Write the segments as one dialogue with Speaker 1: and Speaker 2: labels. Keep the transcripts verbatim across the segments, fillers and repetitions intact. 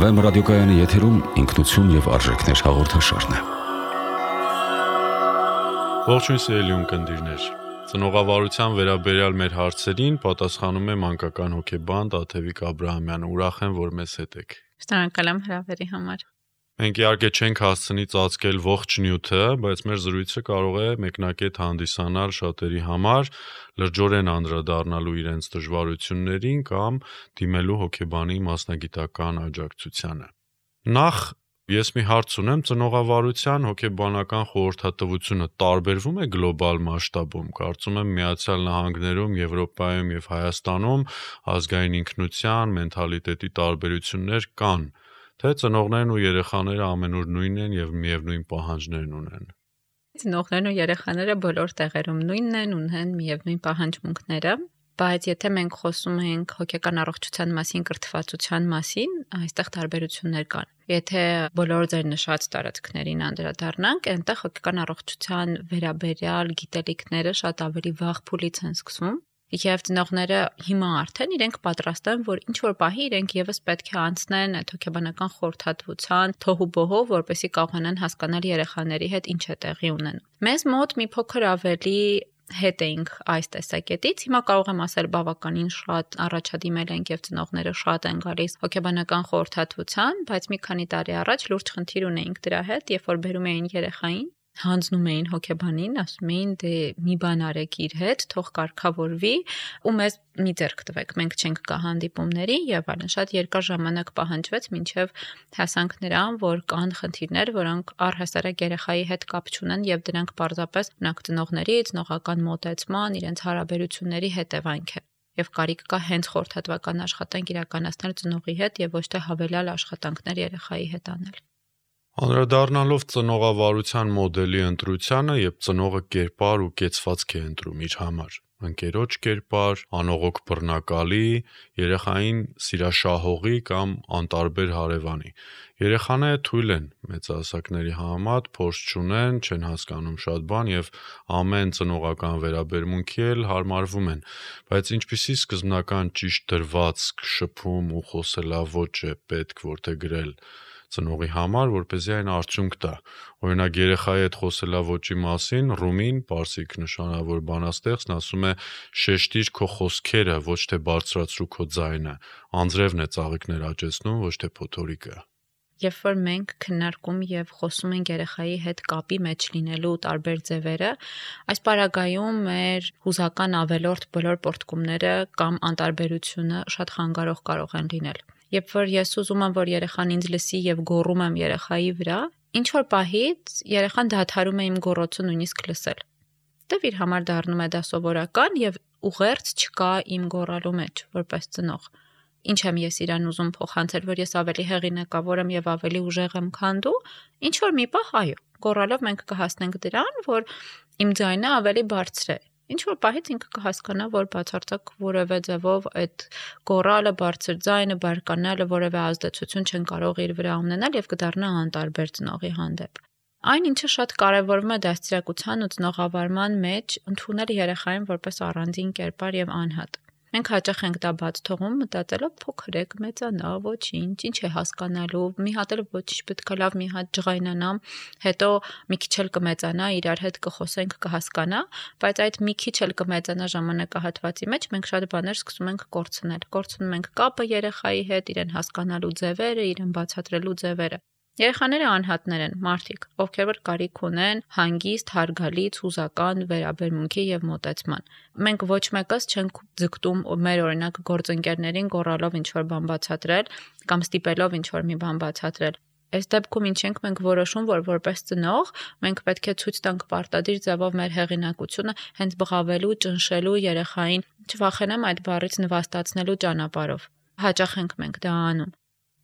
Speaker 1: Վեմ ռադիոկայանի եթերում ինքնություն եւ արժեքներ հաղորդաշարն է։
Speaker 2: Ողջույն սիրելի ունկնդիրներ։ Ծնողավարության վերաբերյալ մեր հարցերին պատասխանում է մանկական հոգեբան Տաթևիկ Աբրահամյանը։ Ուրախ եմ, որ մեզ հետ եք։
Speaker 3: Շնորհակալ եմ հրավերի համար։
Speaker 2: Մենք իհարկե չենք հասցնի ծածկել ողջ նյութը, բայց մեր զրույցը կարող է մեկնակետ հանդիսանալ շատերի համար, լրջորեն անդրադառնալու իրենց դժվարություններին կամ դիմելու հոգեբանի մասնագիտական աջակցությանը։ Նախ ես մի հարց ունեմ, ծնողավարության հոգեբանական խորհրդատվությունը տարբերվում է գլոբալ մասշտաբում։ Կարծում եմ Միացյալ Նահանգներում, Եվրոպայում եւ Հայաստանում ազգային ինքնության, մենթալիտետի տարբերություններ կան, թե ծնողներն ու երեխաները ամենուր նույնն են եւ միևնույն պահանջներն ունեն։
Speaker 3: Ծնողներն ու երեխաները բոլոր տեղերում նույնն են, ունեն միևնույն պահանջմունքները, բայց եթե մենք խոսում ենք հոգեկան առողջության մասին, կրթվածության մասին, այստեղ տարբերություններ կան։ Եթե բոլոր ձեր նշած տարածքներին անդրադառնանք, այնտեղ հոգեկան առողջության վերաբերյալ գիտելիքները շատ ավելի վաղ փուլից են սկսվում։ Եվ ծնողները հիմա արդեն իրենք պատրաստ են, որ ինչ որ պահի իրենք եւս պետք է անցնեն այդ հոգեբանական խորհրդատվության թոհուբոհով, որպեսզի կարողանան հասկանալ երեխաների հետ ինչ է տեղի ունենում։ Մեզ մոտ մի փոքր ավելի հետ էինք այս տեսակետից, հիմա կարող եմ ասել բավականին շատ առաջադիմել ենք եւ ծնողները շատ են գալիս հոգեբանական խորհրդատվության, բայց մի քանի տարի առաջ լուրջ խնդիր ունեինք դրա հետ, երբ որ բերում էին երեխային, հանձնում էին հոգեբանին, ասում էին դե մի բան արեք իր հետ, թող կարգավորվի ու մեզ մի ձեռք տվեք, մենք չենք գա հանդիպումների եւ այլն։ Շատ երկար ժամանակ պահանջվեց մինչեւ հասանք նրան, որ կան խնդիրներ, որոնք առհասարակ երեխայի հետ կապ չունեն եւ դրանք պարզապես մնաք ծնողների, ծնողական մոտեցման, իրենց հարաբերությունների հետևանք է։ Եվ կարիք կա հենց խորհրդատվական աշխատանք իրականացնել ծնողի հետ եւ ոչ թե հավելյալ աշխատանքներ երեխայի հետ անել։
Speaker 2: Անդրադառնալով ծնողավարության մոդելի ընտրությանը, երբ ծնողը կերպար ու կեցվածք է ընտրում իր համար, ընկերոջ կերպար, անողոք բռնակալի, երեխային սիրաշահողի կամ անտարբեր հարևանի։ Երեխաները թույլ են մեծահասակների համեմատ, փորձ չունեն, չեն հասկանում շատ բան եւ ամեն ծնողական վերաբերմունքի էլ հարմարվում են, բայց ինչպիսի սկզբնական ճիշտ դրվածք, շփում ու խոսելաոճ է պետք որթե գրել ծնողի համար, որպեսզի այն արդյունք տա։ Օրինակ երեխայի հետ խոսելաոճի մասին Ռումին, պարսիկ նշանավոր բանաստեղծն ասում է. «Շեշտիր քո խոսքերը, ոչ թե բարձրացրու քո ձայնը, անձրևն է ծաղիկներ աճեցնում, ոչ թե փոթորիկը»։
Speaker 3: Երբ որ մենք քննարկում եւ խոսում ենք երեխայի հետ կապի մեջ լինելու տարբեր ձևերը, այս պարագայում մեր հուզական ավելորդ բոլոր պորտկումները կամ անտարբերությունը շատ խանգարող կարող են լինել։ Երբ որ ես ուզում եմ, որ երեխան ինձ լսի եւ գոռում եմ երեխայի վրա, ինչ որ պահից երեխան դադարում է իմ գոռոցը նույնիսկ լսել։ Դեռ իր համար դառնում է դա սովորական եւ ուղերձ չկա իմ գոռալու մեջ որպես ծնող։ Ինչ եմ ես իրան ուզում փոխանցել, որ ես ավելի հեղինակավոր եմ եւ ավելի ուժեղ եմ, քան դու, ինչ որ մի պահ այո, գոռալով մենք կհասնենք դրան, որ իմ ձայնը ավելի բարձր է։ Ինչ որ պահից ինքը կհասկանա, որ բացարձակ որևէ ձևով այդ գոռալը, բարձր ձայնը, բարկանալը որևէ ազդեցություն չեն կարող իր վրա ունենալ եւ կդառնա անտարբեր ծնողի հանդեպ։ Այն ինչը շատ կարևորվում է դաստիարակության ու ծնողավարման մեջ, ընդունել երեխային որպես առանձին կերպար եւ անհատ։ Մենք հաճախ ենք դա բաց թողում, մտածելով փոքր է, կմեծանա, ոչինչ, ինչ է հասկանալու, մի հատ էլ ոչինչ պետք է լավ մի հատ ջղայնանամ, հետո մի քիչ էլ կմեծանա, իրար հետ կխոսենք, կհասկանա, բայց այդ մի քիչ էլ կմեծանա ժամանակահատվածի մեջ մենք շատ բաներ սկսում ենք կորցնել։ Կորցնում ենք կապը երեխայի հետ, իրեն հասկանալու ձևերը, իրեն բացատրելու ձևերը։ Երեխաները անհատներ են, մարդիկ, ովքեր որ կարիք ունեն հանգիստ, հարգալից, հուզական վերաբերմունքի եւ մոտեցման։ Մենք ոչ մեկս չենք ձգտում մեր օրինակ գործընկերներին գոռալով ինչ-որ բան բացատրել կամ ստիպելով ինչ-որ մի բան բացատրել։ Այս դեպքում ինչ ենք մենք որոշում, որ որպես ծնող մենք պետք է ցույց տանք պարտադիր ձևով մեր հեղինակությունը հենց բղավելու, ճնշելու երեխային, չվախենամ այդ բառից նվաստացնելու ճանապարհով։ Հաճախ ենք մենք դա անում։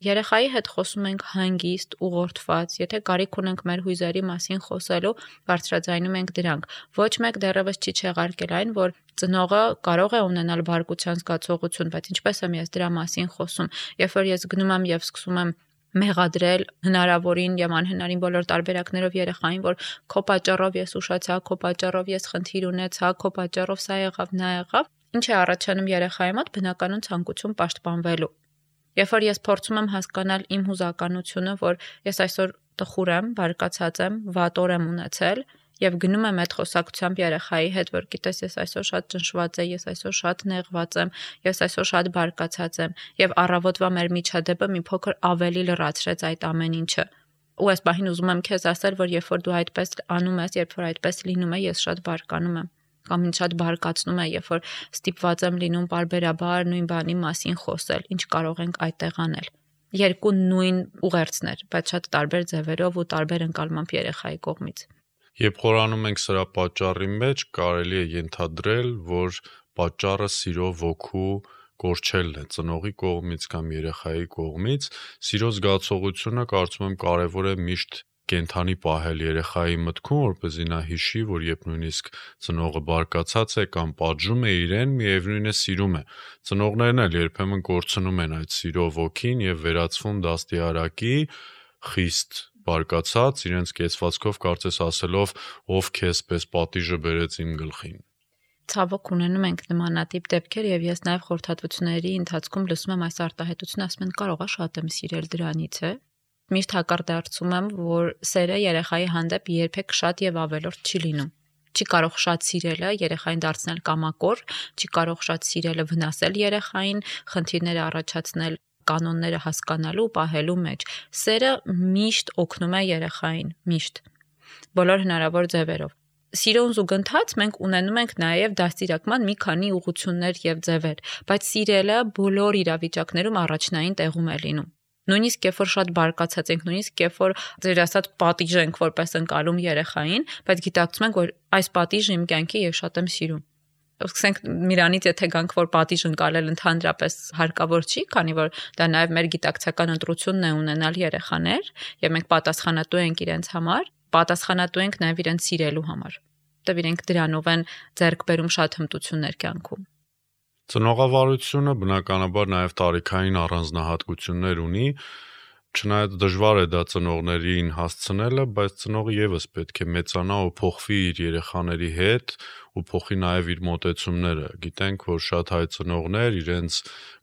Speaker 3: Երեխայի հետ խոսում ենք հանգիստ, ուղղորդված, եթե կարիք ունենք մեր հույզերի մասին խոսելու, բարձրաձայնում ենք դրանք։ Ոչ մեկ դեռևս չի չեղարկել այն, որ ծնողը կարող է ունենալ բարկության զգացողություն, բայց ինչպես եմ ես դրա մասին խոսում, երբ որ ես գնում եմ եւ սկսում եմ մեղադրել հնարավորին եւ անհնարին բոլոր տարբերակներով երեխային, որ քո պատճառով ես ուշացա, քո պատճառով ես խնդիր ունեցա, քո պատճառով սա եղավ, նա եղավ, ինչ է առաջանում երեխայի մոտ բնականon ցանկություն պաշտպանվելու։ Երբ որ ես փորձում եմ հասկանալ իմ հուզականությունը, որ ես այսօր տխուր եմ, բարկացած եմ, վատ օր եմ ունեցել, եւ գնում եմ այդ խոսակցությամբ երեխայի հետ, որ գիտես, ես այսօր շատ ճնշված եմ, ես այսօր շատ նեղված եմ, ես այսօր շատ բարկացած եմ, եւ առավոտվա մեր միջադեպը մի փոքր ավելի լրացրեց այդ ամեն ինչը։ Ու այս պահին ուզում եմ քեզ ասել, որ երբ որ դու այդպես անում ես, երբ որ այդպես լինում է, ես շատ բարկանում եմ, կամ ինձ շատ բարկացնում է, երբ որ ստիպված եմ լինում պարբերաբար նույն բանի մասին խոսել, ինչ կարող ենք այդտեղ անել։ Երկու նույն ուղերձներ, բայց շատ տարբեր ձևերով ու տարբեր ընկալմամբ երեխայի կողմից։
Speaker 2: Երբ խորանում ենք սրա պատճառի մեջ, կարելի է ենթադրել, որ պատճառը սիրո ոգու կորչելն է ծնողի կողմից կամ երեխայի կողմից։ Սիրո զգացողությունը կարծում եմ կարևոր է միշտ կենթանի պահել երեխայի մտքում, որպեսզի նա հիշի, որ երբ նույնիսկ ծնողը բարկացած է կամ պատժում է իրեն, միևնույն է սիրում է։ Ծնողներն էլ երբեմն կորցնում են այդ սիրո ոգին եւ վերածվում դաստիարակի, խիստ բարկացած, իրենց կեցվածքով կարծես ասելով, ով քեզ պես պատիժը բերեց իմ գլխին։
Speaker 3: Ցավոք ունենում ենք նմանատիպ դեպքեր եւ ես նաեւ խորհրդատվությունների ընթացքում լսում եմ այս արտահայտությունը, ասում են կարող է շատ եմ սիրել դրանից է։ Միշտ հակարդարձում եմ, որ սերը երեխայի հանդեպ երբեք շատ եւ ավելորդ չի լինում։ Չի կարող շատ սիրելը երեխային դարձնել կամակոր, չի կարող շատ սիրելը վնասել երեխային, խնդիրներ առաջացնել կանոնները հասկանալու ու պահելու մեջ։ Սերը միշտ օգնում է երեխային, միշտ։ Բոլոր հնարավոր ձևերով։ Սիրուն զուգընթաց մենք ունենում ենք նաև դաստիարակման մի քանի ուղղություններ եւ ձևեր, բայց սիրելը բոլոր իրավիճակներում առաջնային տեղում է լինում։ Նույնիսկ երբ որ շատ բարկացած ենք, նույնիսկ երբ որ ձեր ասած պատիժ ենք որպես ընկալում երեխային, բայց գիտակցում ենք, որ այս պատիժը իմ կյանքի ես շատ եմ սիրում։ Սկսենք միրանից, եթե գանք, որ պատիժ ընկալել ընդհանրապես հարկավոր չի, քանի որ դա նաև մեր գիտակցական ընտրությունն է ունենալ երեխաներ, եւ մենք պատասխանատու ենք իրենց համար, պատասխանատու ենք նաև իրենց սիրելու համար։ Որտեւ իրենք դրանով են ձեռք բերում շատ հմտություններ կյանքում։
Speaker 2: Ծնողավարությունը բնականաբար նաև տարիքային առանձնահատկություններ ունի, չնայած դժվար է դա ծնողներին հասցնելը, բայց ծնողը եւս պետք է մեծանա ու փոխվի իր երեխաների հետ ու փոխի նաև իր մոտեցումները։ Գիտենք, որ շատ հայ ծնողներ իրենց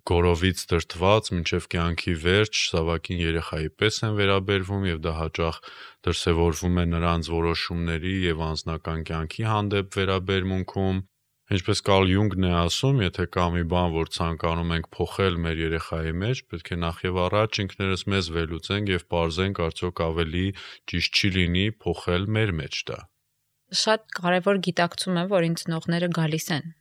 Speaker 2: գորովից դրդված մինչև կյանքի վերջ զավակին երեխայի պես են վերաբերվում եւ դա հաճախ դրսևորվում է նրանց որոշումների եւ անձնական կյանքի հանդեպ վերաբերմունքում։ Ինչպես Կարլ Յունգն է ասում, եթե կա մի բան, որ ցանկանում ենք փոխել մեր երեխայի մեջ, պետք է նախ եւ առաջ ինքներս մեզ վերլուծենք եւ պարզենք, արդյոք ավելի ճիշտ չի լինի փոխել մեր մեջ դա։
Speaker 3: Շատ կարևոր գիտակցում է, որ ինձ ծնողները գալիս են։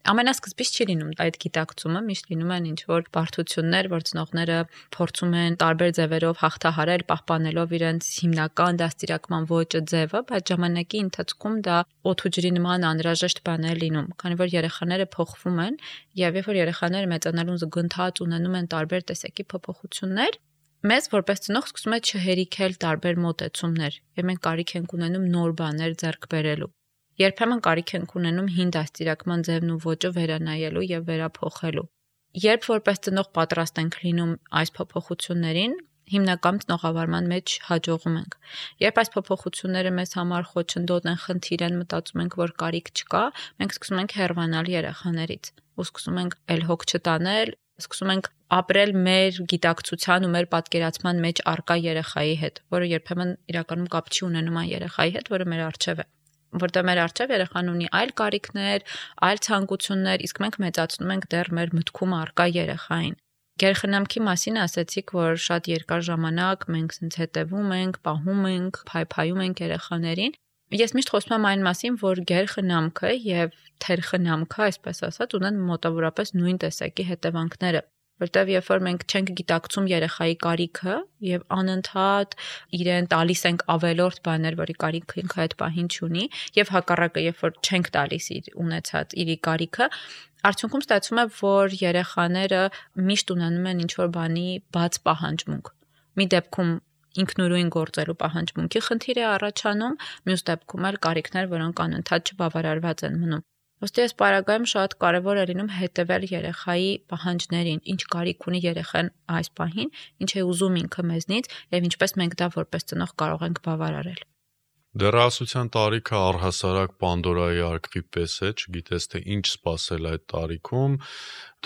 Speaker 3: Ամենասկզբից չի լինում այդ գիտակցումը, միշտ լինում են ինչ-որ բարդություններ, որ ծնողները փորձում են տարբեր ձևերով հաղթահարել, պահպանելով իրենց հիմնական դաստիարակման ոճը ձևը, բայց ժամանակի ընթացքում դա օդ ու ջրի նման անհրաժեշտ բան է լինում, քանի որ երեխաները փոխվում են, եւ երբ որ երեխաները մեծանալուն զուգընթաց ունենում են տարբեր տեսակի փոփոխություններ, մեզ որպես ծնող սկսում է չհերիքել տարբեր մոտեցումներ, եւ մենք կարիք ենք ունենում նոր բաներ ձեռք բերելու։ Երբեմն կարիք ենք ունենում հին դաստիարակման ձևն ու ոճը վերանայելու եւ վերափոխելու։ Երբ որպես ծնող պատրաստ ենք լինում այս փոփոխություններին, հիմնական ծնողավարման մեջ հաջողում ենք։ Երբ այս փոփոխությունները մեզ համար խոչընդոտ են, խնդիր են, մտածում ենք, որ կարիք չկա, մենք սկսում ենք հեռանալ երեխաներից ու սկսում ենք էլ հոգ չտանել, սկսում ենք ապրել մեր գիտակցության ու մեր պատկերացման մեջ առկա երեխայի հետ, որը երբեմն իրականում կապ չի ունենում այն երեխայի հետ, որը մեր առջև է։ Որտեղ մեր առջև երեխան ունի այլ կարիքներ, այլ ցանկություններ, իսկ մենք մեծացնում ենք դեռ մեր մտքում առկա երեխային։ Գերխնամքի մասին ասացիք, որ շատ երկար ժամանակ մենք ցենց հետևում ենք, պահում ենք, փայփայում ենք երեխաներին։ Ես միշտ խոսում եմ այն մասին, որ գերխնամքը եւ թերխնամքը, այսպես ասած, ունեն մոտավորապես նույն տեսակի հետևանքները։ Որտեւ երբ որ մենք չենք գիտակցում երեխայի կարիքը եւ անընդհատ իրեն տալիս ենք ավելորդ բաներ, որի կարիքը ինքը այդ պահին չունի, եւ հակառակը, երբ որ չենք տալիս իր ունեցած իր կարիքը, արդյունքում ստացվում է, որ երեխաները միշտ ունենում են ինչ-որ բանի բաց պահանջմունք։ Մի դեպքում ինքնուրույն գործելու պահանջմունքի խնդիր է առաջանում, մյուս դեպքում էլ կարիքներ, որոնք անընդհատ չբավարարված են մնում։ Ոստի այս պարագայում շատ կարևոր է լինում հետևել երեխայի պահանջներին, ինչ կարիք ունի երեխան այս պահին, ինչ է ուզում ինքը մեզնից եւ ինչպես մենք դա որպես ծնող կարող ենք բավարարել։
Speaker 2: Դեռահասության տարիքը առհասարակ Պանդորայի արքվի պես է, չգիտես թե ինչ սպասել այդ տարիքում,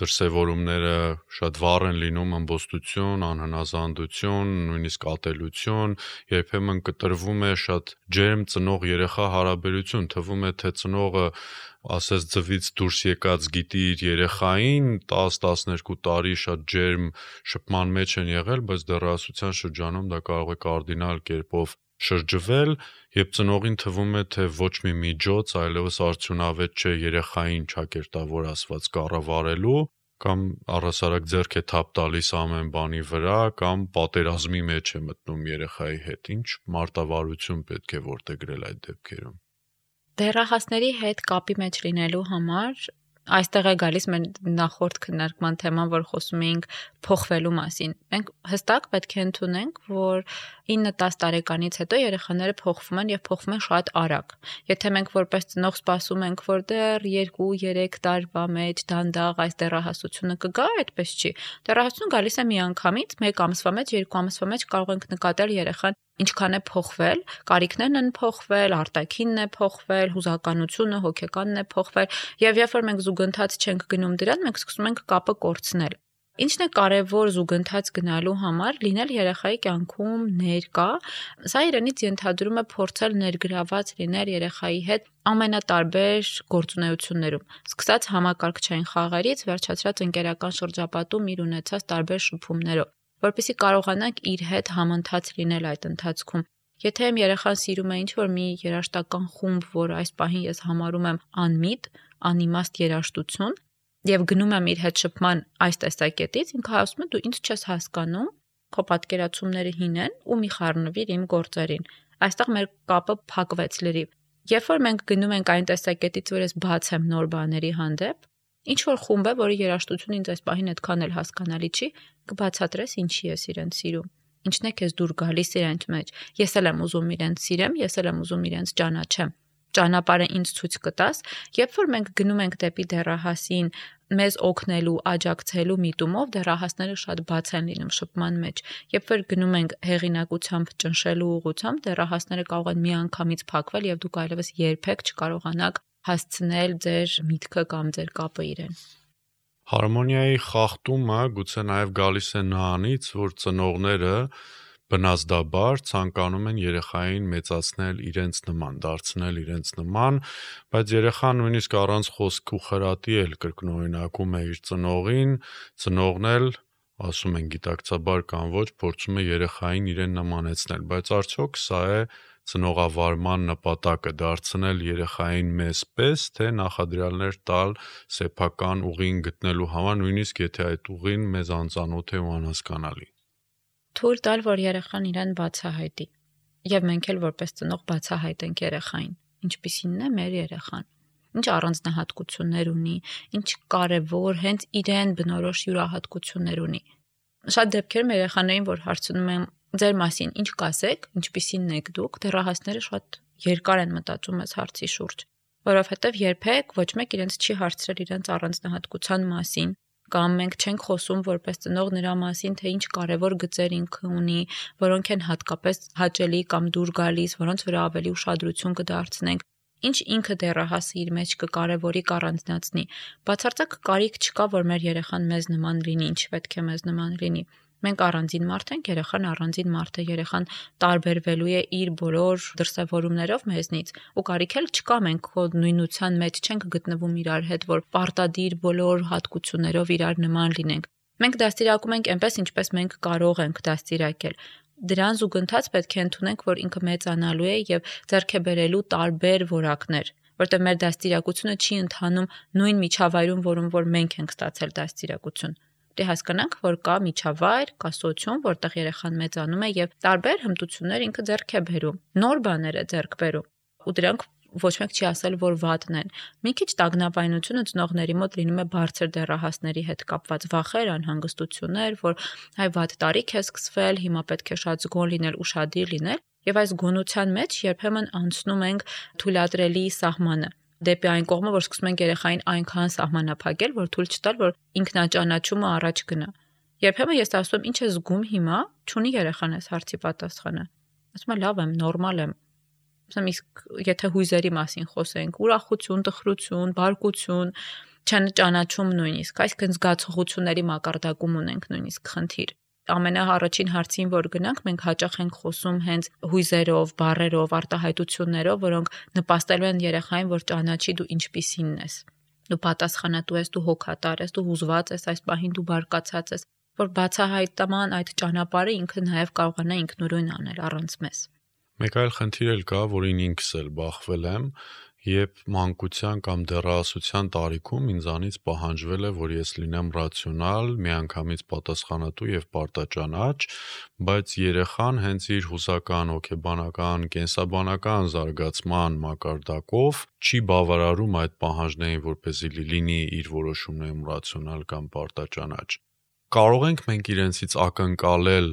Speaker 2: դրսևորումները շատ վառ են լինում, ըմբոստություն, անհնազանդություն, նույնիսկ ատելություն, երբեմն կտրվում է շատ ջերմ ծնող-երեխա հարաբերություն, թվում է թե ծնողը ասես ձվից դուրս եկած գիտի իր երեխային, տասը տասներկու տարի շատ ջերմ շփման մեջ են եղել, բայց դեռահասության շրջանում դա կարող է կարդինալ կերպով շրջվել, երբ ծնողին թվում է, թե ոչ մի միջոց այլևս արդյունավետ չէ երեխային ճակերտավոր ասված կառավարելու, կամ առհասարակ ձեռք է թափ տալիս ամեն բանի վրա, կամ պատերազմի մեջ է մտնում երեխայի հետ, ինչ մարտավարություն պետք է որդեգրել այդ դեպքերում։
Speaker 3: Դեռահասների հետ կապի մեջ լինելու համար այստեղ է գալիս մեր նախորդ քննարկման թեման, որ խոսում էինք փոխվելու մասին։ Մենք հստակ պետք է ընդունենք, որ ինը տասը տարեկանից հետո երեխաները փոխվում են եւ փոխվում են շատ արագ։ Եթե մենք որպես ծնող սպասում ենք, որ դեռ երկու երեք տարվա մեջ դանդաղ այս դեռահասությունը կգա, այդպես չի։ Դեռահասությունը գալիս է միանգամից, մեկ ամսվա մեջ, երկու ամսվա մեջ կարող ենք նկատել երեխան ինչքան է փոխվել, կարիքներն են փոխվել, արտաքինն է փոխվել, հուզականությունը, հոգեկանն է փոխվել, եւ երբ որ մենք զուգընթաց չենք գնում դրան, մենք սկսում ենք կապը կորցնել։ Ինչն է կարևոր զուգընթաց գնալու համար լինել երեխայի կյանքում ներկա, սա իրենից ենթադրում է փորձել ներգրաված լինել երեխայի հետ ամենատարբեր գործունեություններում, սկսած համակարգչային խաղերից, վերջացրած ընկերական շրջապատում իր ունեցած տարբեր շփումներով, որպեսզի կարողանանք իր հետ համընթաց լինել այդ ընթացքում։ Եթե իմ երեխան սիրում է ինչ-որ մի երաժշտական խումբ, որ այս պահին ես համարում եմ անմիտ, անիմաստ երաժշտություն, եւ գնում եմ իր հետ շփման այս տեսակետից, ինքը ասում է դու ինձ չես հասկանում, քո պատկերացումները հին են ու մի խառնվիր իմ գործերին։ Այստեղ մեր կապը փակվեց լրիվ։ Երբ որ մենք գնում ենք այն տեսակետից, որ ես բաց եմ նոր բաների հանդեպ, ինչ որ խումբ է, որի երաժշտությունը ինձ այս պահին այդքան էլ հասկանալի չի, կբացատրես ինչի ես իրեն սիրում։ Ինչն է քեզ դուր գալիս իրենց մեջ։ Ես էլ եմ ուզում իրենց սիրեմ, ես էլ եմ ուզում իրենց ճանաչեմ։ Ճանապարհը ինձ ցույց կտաս, երբ որ մենք գնում ենք դեպի դեռահասին մեզ օգնելու, աջակցելու միտումով, դեռահասները շատ բաց են լինում շփման մեջ։ Երբ որ գնում ենք հեղինակությամբ ճնշելու ուղղությամբ, դեռահասները կարող են միանգամից փակվել եւ դուք այլևս երբեք չկարողանաք հասցնել ձեր միտքը կամ ձեր կապը իրեն։
Speaker 2: Հարմոնիայի խախտումը գուցե նաև գալիս է նրանից, որ ծնողները բնազդաբար ցանկանում են երեխային մեծացնել իրենց նման, դարձնել իրենց նման, բայց երեխան նույնիսկ առանց խոսք ու խրատի էլ կրկնօրինակում է իր ծնողին, ծնողն էլ ասում են գիտակցաբար կամ ոչ, փորձում է երեխային իրեն նմանեցնել, բայց արդյոք սա է ծնողավարման նպատակը դարձնել երեխային մեզ պես, թե նախադրյալներ տալ սեփական ուղին գտնելու համար, նույնիսկ եթե այդ ուղին մեզ անծանոթ է ու անհասկանալի։
Speaker 3: Թույլ տալ, որ երեխան իրեն բացահայտի, եւ մենք էլ որպես ծնող բացահայտենք երեխային, ինչպիսինն է մեր երեխան, ինչ առանձնահատկություններ ունի, ինչ կարևոր հենց իրեն բնորոշ յուրահատկություններ ունի։ Շատ դեպքերում երեխաներին, որ հարցնում եմ ձեր մասին ինչ կասեք, ինչպիսինն եք դուք, դեռահասները շատ երկար են մտածում այս հարցի շուրջ, որովհետև երբեք ոչ մեկ իրենց չի հարցրել իրենց առանձնահատկության մասին, կամ մենք չենք խոսում որպես ծնող նրա մասին, թե ինչ կարևոր գծեր ինքը ունի, որոնք են հատկապես հաճելի կամ դուր գալիս, որոնց վրա ավելի ուշադրություն կդարձնենք, ինչ ինքը դեռահասը իր մեջ կկարևորի, կառանձնացնի։ Բացարձակ կարիք չկա, որ մեր երեխան մեզ նման լինի, ինչ պետք է մեզ նման լինի։ Մենք առանձին մարդ ենք, երեխան առանձին մարդ է, երեխան տարբերվելու է իր բոլոր դրսևորումներով մեզնից, ու կարիք էլ չկա, մենք քո նույնության մեջ չենք գտնվում իրար հետ, որ պարտադիր բոլոր հատկություններով իրար նման լինենք։ Մենք դաստիարակում ենք այնպես, ինչպես մենք կարող ենք դաստիարակել։ Դրան զուգընթաց պետք է ընդունենք, որ ինքը մեծանալու է եւ ձեռք է բերելու տարբեր որակներ, որտեղ մեր դաստիարակությունը չի ընթանում նույն միջավայրում, որում որ մենք ենք ստացել դաստիարակություն։ Դե հասկանանք, որ կա միջավայր, կա սոցիում, որտեղ երեխան մեծանում է եւ տարբեր հմտություններ ինքը ձեռք է բերում, նոր բաներ է ձեռք բերում, ու դրանք ոչ մեկ չի ասել, որ վատն են։ Մի քիչ տագնապայնությունը ծնողների մոտ լինում է բարձր դեռահասների հետ կապված վախեր, անհանգստություններ, որ հայ վատ տարիք է սկսվել, հիմա պետք է շատ զգոն լինել, ուշադիր լինել, եւ այս գոնության մեջ երբեմն անցնում ենք թույլատրելի սահմանը դեպի այն կողմը, որ սկսում ենք երեխային այնքան սահմանափակել, որ թույլ չտալ, որ ինքնաճանաչումը առաջ գնա։ Երբեմն ես ասում եմ, ինչ է զգում հիմա, չունի երեխան այս հարցի պատասխանը։ Ասում է լավ եմ, նորմալ եմ։ Ասեմ, իսկ եթե հույզերի մասին խոսենք, ուրախություն, տխրություն, բարկություն, չճանաչում նույնիսկ, այսինքն զգացողությունների մակարդակում ունենք նույնիսկ խնդիր։ Ամենաառաջին հարցին, որ գնանք, մենք հաճախ ենք խոսում հենց հույզերով, բառերով, արտահայտություններով, որոնք նպաստելու են երեխային, որ ճանաչի դու ինչպիսին ես։ Դու պատասխանատու ես, դու հոգատար ես, դու հուզված ես, այս պահին դու բարկացած ես, որ բացահայտման այդ ճանապարհը ինքը նաև կարողանա ինքնուրույն անել առանց մեզ։
Speaker 2: Մեկ այլ խնդիր էլ կա, որին ինքս էլ բախվել եմ, երբ մանկության կամ դեռահասության տարիքում ինձանից պահանջվել է, որ ես լինեմ ռացիոնալ, միանգամից պատասխանատու եւ պարտաճանաչ, բայց երեխան հենց իր հուզական, հոգեբանական, կենսաբանական զարգացման մակարդակով չի բավարարում այդ պահանջներին, որպեսզի լինի իր որոշումներում ռացիոնալ կամ պարտաճանաչ։ Կարող ենք մենք իրենցից ակնկալել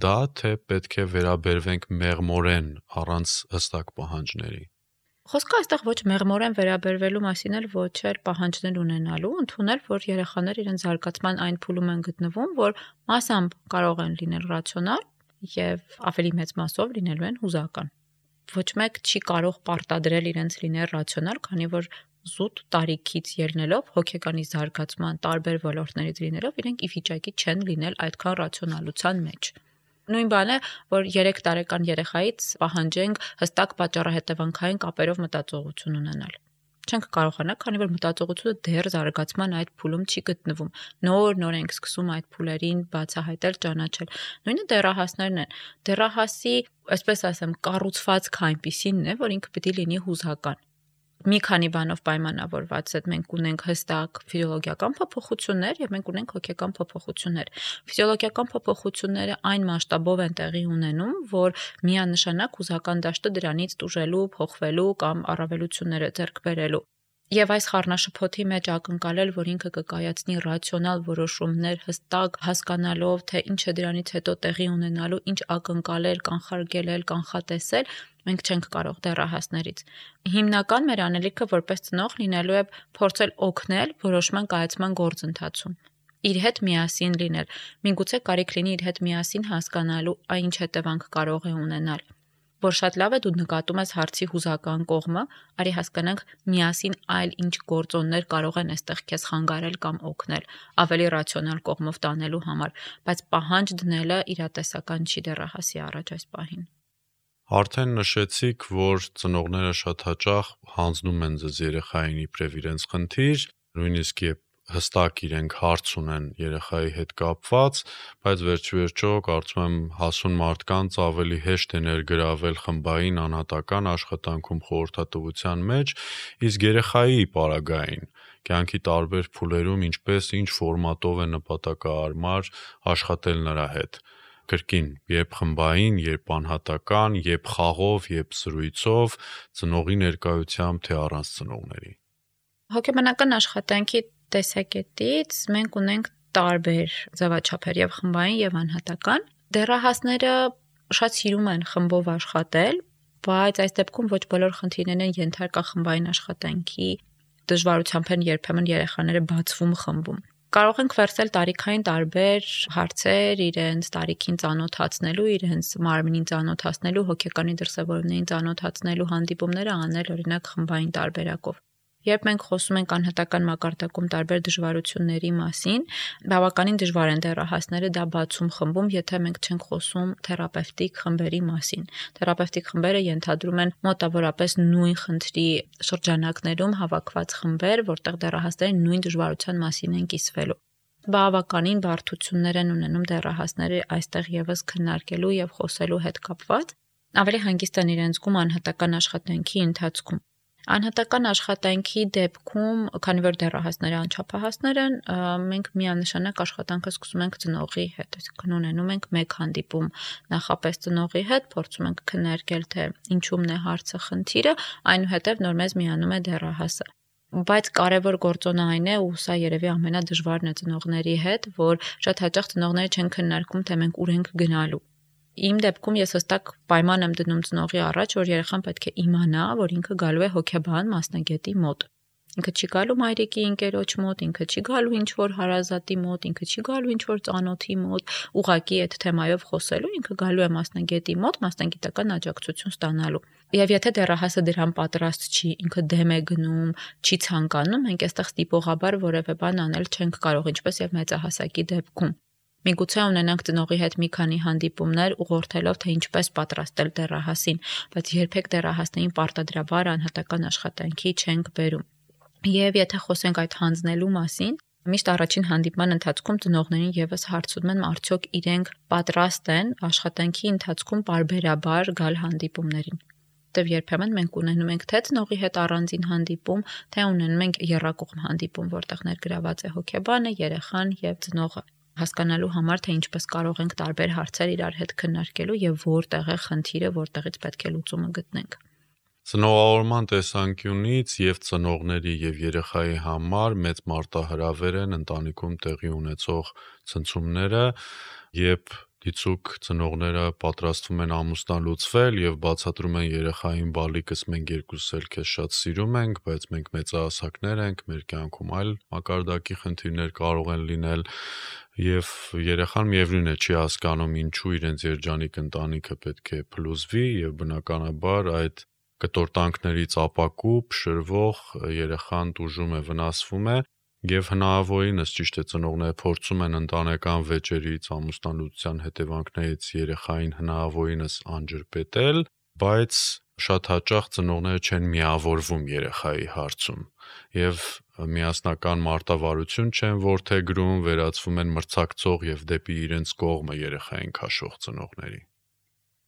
Speaker 2: դա, թե պետք է վերաբերվենք մեղմորեն առանց հստակ պահանջների։
Speaker 3: Խոսքը այստեղ ոչ մեղմորեն վերաբերվելու մասին էլ ոչ էլ պահանջներ ունենալու, ընդունել, որ երեխաներ իրենց զարգացման այն փուլում են գտնվում, որ մասամբ կարող են լինել ռացիոնալ եւ ավելի մեծ մասով լինելու են հուզական։ Ոչ մեկ չի կարող պարտադրել իրենց լինել ռացիոնալ, քանի որ զուտ տարիքից ելնելով հոգեկանի զարգացման տարբեր ոլորտներից լինելով իրենք ի վիճակի չեն լինել այդքան ռացիոնալության մեջ։ Նույն բանը, որ երեք տարեկան երեխայից պահանջենք հստակ պատճառահետևանքային կապերով մտածողություն ունենալ։ Չենք կարողանա, քանի որ մտածողությունը դեռ զարգացման այդ փուլում չի գտնվում։ Նոր-նոր ենք սկսում այդ փուլերին բացահայտել, ճանաչել։ Նույնը դեռահասներն են։ Դեռահասի, այսպես ասեմ, կառուցվածքը այնպիսին է, որ ինքը պետք է լինի հուզական։ Մի քանի բանով պայմանավորված է, մենք ունենք հստակ ֆիզիոլոգիական փոփոխություններ եւ մենք ունենք հոգեկան փոփոխություններ։ Ֆիզիոլոգիական փոփոխությունները այն մասշտաբով են տեղի ունենում, որ միանշանակ հուզական դաշտը դրանից տուժելու, փոխվելու կամ առավելությունները ձեռք բերելու։ Եվ այս խառնաշփոթի մեջ ակնկալել, որ ինքը կկայացնի ռացիոնալ որոշումներ, հստակ հասկանալով, թե ինչ է դրանից հետո տեղի ունենալու, ինչ ակնկալել, կանխարգելել, կանխատեսել, մենք չենք կարող դեռահասներից։ Հիմնական մեր անելիքը որպես ծնող լինելու է փորձել օգնել որոշման կայացման գործընթացում։ Իր հետ միասին լինել։ Միգուցե կարիք լինի իր հետ միասին հասկանալու, այն ինչ հետևանք կարող է ունենալ։ Որ շատ լավ է դու նկատում ես հարցի հուզական կողմը, արի հասկանանք միասին այլ ինչ գործոններ կարող են այստեղ քեզ խանգարել կամ օգնել, ավելի ռացիոնալ կողմով տանելու համար, բայց պահանջ դնելը իրատեսական չի դեռահասի առաջ այս պահին։
Speaker 2: Արդեն նշեցիք, որ ծնողները շատ հաճախ հանձնում են ձեզ երեխային իբրև իրենց խնդիր, նույնիսկ երբ հստակ իրենք հարց ունեն երեխայի հետ կապված, բայց վերջիվերջո կարծում եմ հասուն մարդկանց ավելի հեշտ է ներգրավել խմբային անհատական աշխատանքում խորհրդատվության մեջ, իսկ երեխայի պարագային կյանքի տարբեր փուլերում ինչպես ինչ ֆորմատով է նպատակահարմար աշխատել նրա հետ։ Կրկին, երբ խմբային, երբ անհատական, երբ խաղով, երբ զրույցով, ծնողի ներկայությամբ, թե առանց ծնողների։
Speaker 3: Հոգեբանական աշխատանքի տեսակետից մենք ունենք տարբեր ձևաչափեր եւ խմբային եւ անհատական։ Դեռահասները շատ սիրում են խմբով աշխատել, բայց այս դեպքում ոչ բոլոր խնդիրներն են ենթարկա խմբային աշխատանքի, դժվարությամբ են երբեմն երեխաները բացվում խմբում։ Կարող ենք վերցնել տարիքային տարբեր հարցեր, իրենց տարիքին ծանոթացնելու, իրենց մարմնին ծանոթացնելու, հոգեկանի դրսևորումներին ծանոթացնելու հանդիպումները անել օրինակ խմբային տարբերակով։ Երբ մենք խոսում ենք անհատական մակարդակում տարբեր դժվարությունների մասին, բավականին դժվար են դեռահասները դա բացում խմբում, եթե մենք չենք խոսում թերապևտիկ խմբերի մասին։ Թերապևտիկ խմբերը ենթադրում են մոտավորապես նույն խնդրի շրջանակներում հավաքված խմբեր, որտեղ դեռահասները նույն դժվարության մասին են կիսվելու։ Բավականին բարդություններ են ունենում դեռահասները այստեղ եւս քննարկելու եւ խոսելու հետ կապված, ավելի հանգիստ են իրենց զգում անհատական աշխատանքի ընթացքում։ Անհատական աշխատանքի դեպքում, քանի որ դեռահասները անչափահասներ են, մենք միանշանակ աշխատանքը սկսում ենք ծնողի հետ, այսինքն ունենում ենք մեկ հանդիպում նախապես ծնողի հետ, փորձում ենք քննարկել, թե ինչումն է հարցը, խնդիրը, այնուհետև նոր մեզ միանում է դեռահասը։ Բայց կարևոր գործոնը այն է, ու սա երևի ամենադժվարն է ծնողների հետ, որ շատ հաճախ ծնողները չեն քննարկում, թե մենք ուր ենք գնալու։ Իմ դեպքում ես հստակ պայման եմ դնում ծնողի առաջ, որ երեխան պետք է իմանա, որ ինքը գալու է հոգեբան մասնագետի մոտ։ Ինքը չի գալու մայրիկի ընկերոջ մոտ, ինքը չի գալու ինչ որ հարազատի մոտ, ինքը չի գալու ինչ որ ծանոթի մոտ, ուղակի այդ թեմայով խոսելու, ինքը գալու է մասնագետի մոտ, մասնագիտական աջակցություն ստանալու։ Եվ եթե դեռահասը դրան պատրաստ չի, ինքը դեմ է գնում, չի ցանկանում, մենք այստեղ ստիպողաբար որևէ բան անել չենք կարող, ինչպես եւ մեծահասակի դեպքում։ Միգուցե ունենանք ծնողի հետ մի քանի հանդիպումներ ուղղորդելով, թե ինչպես պատրաստել դեռահասին, բայց երբեք դեռահասներին պարտադրաբար անհատական աշխատանքի չենք բերում։ Եվ եթե խոսենք այդ հանձնելու մասին, միշտ առաջին հանդիպման ընթացքում ծնողներին եւս հարցնում են, արդյոք իրենք պատրաստ են աշխատանքի ընթացքում պարբերաբար գալ հանդիպումներին։ Դեռ երբեմն մենք ունենում ենք թե ծնողի հետ առանձին հանդիպում, թե ունենում ենք եռակողմ հանդիպում, որտեղ ներգրաված է հոգեբանը, երեխան եւ ծնողը, հասկանալու համար, թե ինչպես կարող ենք տարբեր հարցեր իրար հետ քննարկելու եւ որտեղ է խնդիրը, որտեղից պետք է լուծումը գտնենք։
Speaker 2: Ծնողավորման տեսանկյունից եւ ծնողների եւ երեխայի համար մեծ մարտահրավեր են ընտանիքում տեղի ունեցող ցնցումները, երբ դիցուք ծնողները պատրաստվում են ամուսնալուծվել եւ բացատրում են երեխային բալիկս մենք երկուսս էլ քեզ շատ սիրում ենք, բայց մենք մեծահասակներ ենք, մեր կյանքում այլ մակարդակի խնդիրներ կարող են լինել եւ երեխան միևնույն է չի հասկանում ինչու իրենց երջանիկ ընտանիքը պետք է փլուզվի եւ բնականաբար այդ կտորտանքներից ապակուպ շրվող երեխան տուժում է, վնասվում է եւ հնարավորինս ճիշտ է ծնողները փորձում են ընտանեկան վեճերից, ամուսնալուծության հետևանքներից երեխային հնարավորինս անջրպետել, բայց շատ հաճախ ծնողները չեն միավորվում երեխայի հարցում եւ միասնական մարտավարություն չեն որդեգրում, վերածվում են մրցակցող եւ դեպի իրենց կողմը երեխային քաշող ծնողների։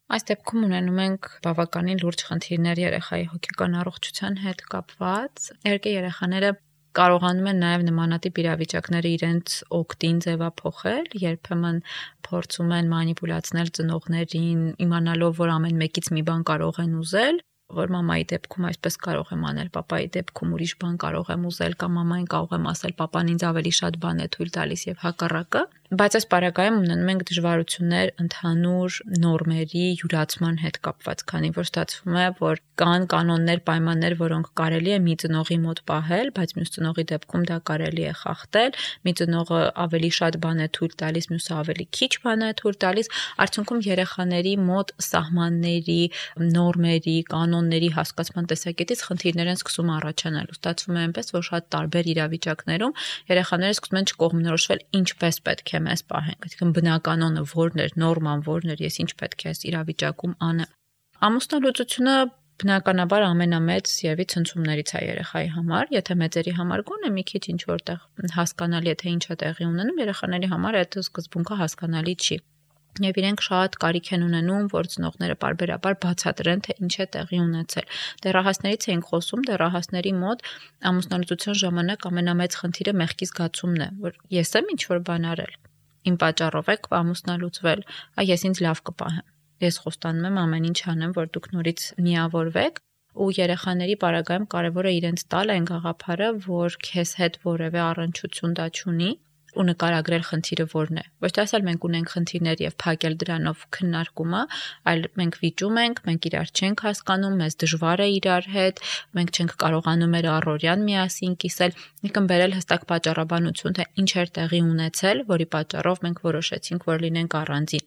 Speaker 3: Այս դեպքում ունենում ենք բավականին լուրջ խնդիրներ երեխայի հոգեկան առողջության հետ կապված։ Իհարկե երեխաները կարողանում են նաև նմանատիպ իրավիճակները իրենց օգտին ձևափոխել, երբեմն փորձում են մանիպուլացնել ծնողներին, իմանալով, որ ամեն մեկից մի բան կարող են ուզել, որ մամայի դեպքում այսպես կարող եմ անել, պապայի դեպքում ուրիշ բան կարող եմ ուզել կամ մամային կարող եմ ասել, պապան ինձ ավելի շատ բան է թույլ տալիս եւ հակառակը, բայց այս պարագայում ունենում ենք դժվարություններ ընդհանուր նորմերի յուրացման հետ կապված, քանի որ ստացվում է, որ կան կանոններ, պայմաններ, որոնք կարելի է մի ծնողի մոտ պահել, բայց մյուս ծնողի դեպքում դա կարելի է խախտել, մի ծնողը ավելի շատ բան է թույլ տալիս, մյուսը ավելի քիչ բան է թույլ տալիս, արդյունքում երեխաների մոտ սահմանների, նորմերի, կանոնների հասկացման տեսակետից խնդիրներ են սկսում առաջանալ։ Ստացվում է այնպես, որ շատ տարբեր իրավիճակներում երեխաները սկսում են չկողմնորոշվել ինչպես պետք է մեզ պահենք, այսինքն բնականոնը որն էր, նորման որն էր, ես ինչ պետք է այս իրավիճակում անեմ։ Ամուսնալուծությունը բնականաբար ամենամեծ եւի ցնցումներից է երեխայի համար, եթե մեծերի համար գոնե մի քիչ ինչ որտեղ հասկանալի է թե ինչ է տեղի ունենում, երեխաների համար այդ սկզբունքը հասկանալի չի։ Եվ իրենք շատ կարիք են ունենում, որ ծնողները պարբերաբար բացատրեն, թե ինչ է տեղի ունեցել։ Դեռահասներից էինք խոսում, դեռահասների մոտ ամուսնալուծության ժամանակ ամենամեծ խնդիրը մեղքի զգացումն է, որ ես եմ ինչ որ բան արել։ Իմ պատճառով եք ամուսնալուծվել, այ ես ինձ լավ կպահեմ։ Ես խոստանում եմ ամեն ինչ անեմ, որ դուք նորից միավորվեք, ու երեխաների պարագայում կարևոր է իրենց տալ այն գաղափարը, որ քեզ հետ որևէ առնչություն դա չունի, ու նկարագրել խնդիրը որն է։ Ոչ թե ասել մենք ունենք խնդիրներ եւ փակել դրանով քննարկումը, այլ մենք վիճում ենք, մենք իրար չենք հասկանում, մեզ դժվար է իրար հետ, մենք չենք կարողանում մեր առօրյան միասին կիսել, եկան բերել հստակ պատճառաբանություն, թե ինչ էր տեղի ունեցել, որի պատճառով մենք որոշեցինք, որ լինենք առանձին։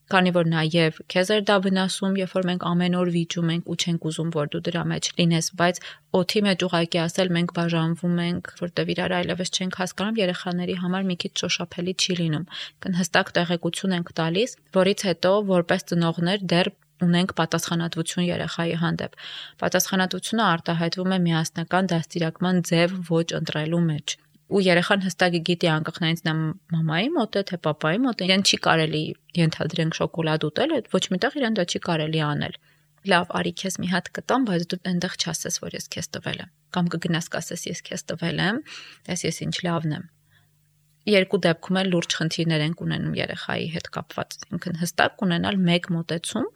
Speaker 3: Քանի որ նաև քեզ էր դա վնասում, երբ որ մենք ամեն օր վիճում ենք ու չենք ուզում, որ դու դրա մեջ լինես, բայց օդի մեջ ուղակի ասել մենք բաժանվում ենք, որտեվ իրար այլևս չենք հասկանում, երեխաների համար մի քիչ շոշափելի չի լինում։ Կն հստակ տեղեկություն ենք տալիս, որից հետո որպես ծնողներ դեռ ունենք պատասխանատվություն երեխայի հանդեպ։ Պատասխանատվությունը արտահայտվում է միասնական դաստիարակման ձև ոչ ընտրելու մեջ։ Ու երեխան հստակ գիտի անկախ նրանից նա մամայի մոտ է, թե պապայի մոտ է, իրեն չի կարելի ենթադրենք շոկոլադ ուտել, ոչ միտեղ իրեն դա չի կարելի անել։ Լավ, արի քեզ մի հատ կտամ, բայց դու այնտեղ չասես, որ ես քեզ տվել եմ, կամ կգնաս կասես ես քեզ տվել եմ, ես ես ինչ լավն եմ։ Երկու դեպքում էլ լուրջ խնդիրներ են ունենում երեխայի հետ կապված, ինքն հստակ ունենալ մեկ մոտեցում,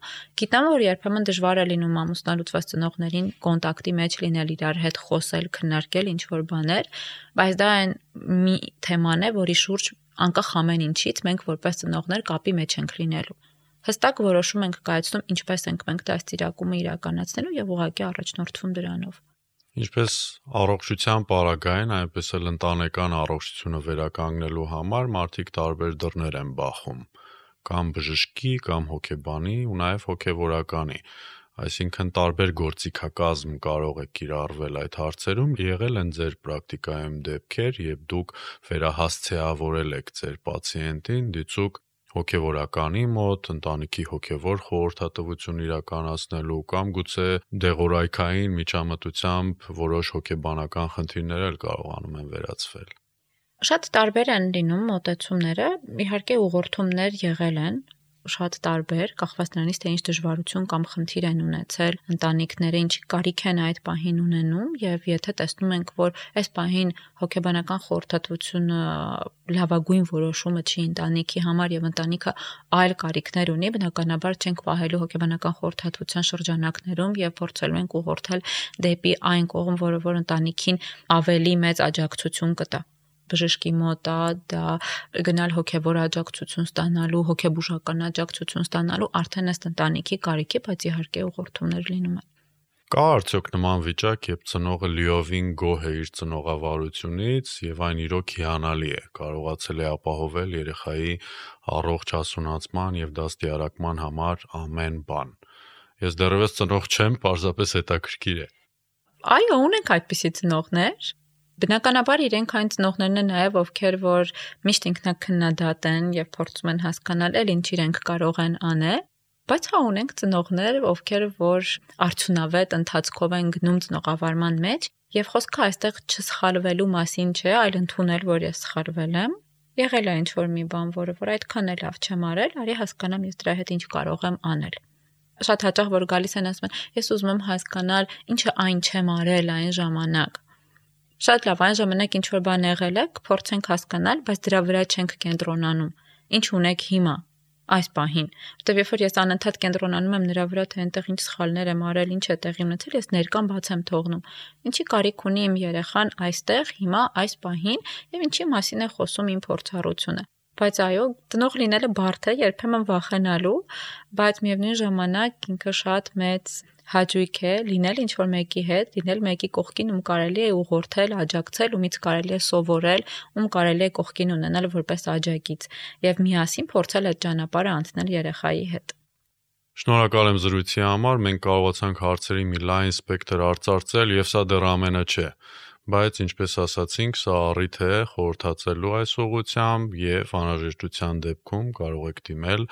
Speaker 3: գիտեմ որ երբեմն դժվար է լինում ամուսնալուծված ծնողներին կոնտակտի մեջ լինել իրար հետ խոսել, քննարկել ինչ որ բաներ, բայց դա այն մի թեման է, որի շուրջ անկախ ամեն ինչից մենք որպես ծնողներ կապի մեջ ենք լինելու։ Հստակ որոշում ենք կայացնում ինչպես ենք մենք դաստիարակումը իրականացնելու եւ ուղղակի առաջնորդվում դրանով։
Speaker 2: Ինչպես առողջության պարագային, այնպես էլ ընտանեկան առողջությունը վերականգնելու համար մարդիկ տարբեր դռներ են բախում, կամ բժշկի, կամ հոգեբանի ու նաև հոգևորականի։ Այսինքն տարբեր գործիքակազմ կարող է կիրառվել այդ հարցերում, եղել են ձեր պրակտիկայում դեպքեր, երբ դուք վերահասցեավորել եք ձեր պացիենտին դիցուք հոգևորականի մոտ, ընտանիքի հոգևոր խորհրդատվություն իրականացնելու կամ գուցե դեղորայքային միջամտությամբ որոշ հոգեբանական խնդիրներ էլ կարողանում են վերացվել։
Speaker 3: Շատ տարբեր են լինում մոտեցումները, իհարկե ուղղորդումներ եղել են, շատ տարբեր, կախված նրանից, թե ինչ դժվարություն կամ խնդիր են ունեցել ընտանիքները, ինչ կարիք են այդ պահին ունենում, եւ եթե տեսնում ենք, որ այս պահին հոգեբանական խորհրդատվությունը լավագույն որոշումը չի ընտանիքի համար եւ ընտանիքը այլ կարիքներ ունի, բնականաբար չենք պահելու հոգեբանական խորհրդատվության շրջանակներում եւ փորձելու ենք ուղղորդել դեպի այն կողմ, որը որ ընտանիքին ավելի մեծ աջակցություն կտա։ Բժշկի մոտ դա գնալ հոգևոր աջակցություն ստանալու, հոգեբուժական աջակցություն ստանալու արդեն ըստ ընտանիքի կարիքի, բայց իհարկե ուղղորդումներ լինում են։
Speaker 2: Կա արդյոք նման վիճակ, երբ ծնողը լիովին գոհ է իր ծնողավարությունից եւ այն իրոք հիանալի է, կարողացել է ապահովել երեխայի առողջ հասունացման եւ դաստիարակման համար ամեն բան։ Ես դեռևս ծնող չեմ, պարզապես հետաքրքիր է։
Speaker 3: Այո, ունենք այդպիսի ծնողներ։ Բնականաբար իրենք այն ծնողներն են նաև, ովքեր որ միշտ ինքնակնդադատ են եւ փորձում են հասկանալ, էլ ինչ իրենք կարող են անել, բայց հա ունենք ծնողներ, ովքեր որ արդյունավետ ընթացքով են գնում ծնողավարման մեջ եւ խոսքը այստեղ չսխալվելու մասին չէ, այլ ընդունել, որ ես սխալվել եմ, եղել է ինչ որ մի բան, որը որ այդքան էլ լավ չեմ արել, արի հասկանամ ես դրա հետ ինչ կարող եմ անել։ Շատ հաճախ որ գալիս են ասում են, ես ուզում եմ հասկանալ, ինչը այն չեմ արել այն ժամանակ։ Շատ լավ, այն ժամանակ ինչ որ բան եղել է, փորձենք հասկանալ, բայց դրա վրա չենք կենտրոնանում։ Ինչ ունեք հիմա, այս պահին։ Որտեւ երբ որ ես անընդհատ կենտրոնանում եմ նրա վրա, թե այնտեղ ինչ սխալներ եմ արել, ինչ է տեղի ունեցել, ես ներկան բաց եմ թողնում։ Ինչի կարիք ունի իմ երեխան այստեղ, հիմա, այս պահին, եւ ինչի մասին է խոսում իմ փորձառությունը։ Բայց այո, ծնող լինելը բարդ է, երբեմն վախենալու, բայց միևնույն ժամանակ ինքը շատ մեծ հաճույք է լինել ինչ որ մեկի հետ, լինել մեկի կողքին, ում կարելի է ուղղորդել, աջակցել, ումից կարելի է սովորել, ում կարելի է կողքին ունենալ որպես աջակից եւ միասին փորձել այդ ճանապարհը անցնել երեխայի հետ։
Speaker 2: Շնորհակալ եմ զրույցի համար, մենք կարողացանք հարցերի մի լայն սպեկտր արծարծել եւ սա դեռ ամենը չէ, բայց ինչպես ասացինք, սա առիթ է խորհրդածելու այս ուղղությամբ եւ անհրաժեշտության դեպքում կարող եք դիմել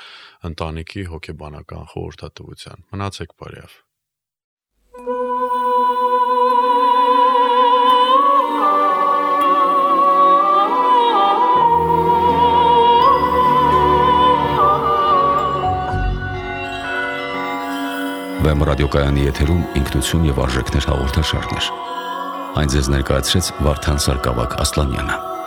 Speaker 2: ընտանիքի հոգեբանական խորհրդատվության։ Մնացեք բարյավ։
Speaker 1: Վեմ ռադիոկայանի եթերում ինքնություն եւ արժեքներ հաղորդաշարներ։ Այն ձեզ ներկայացրեց Վարդան Սարգսակ Ասլանյանը։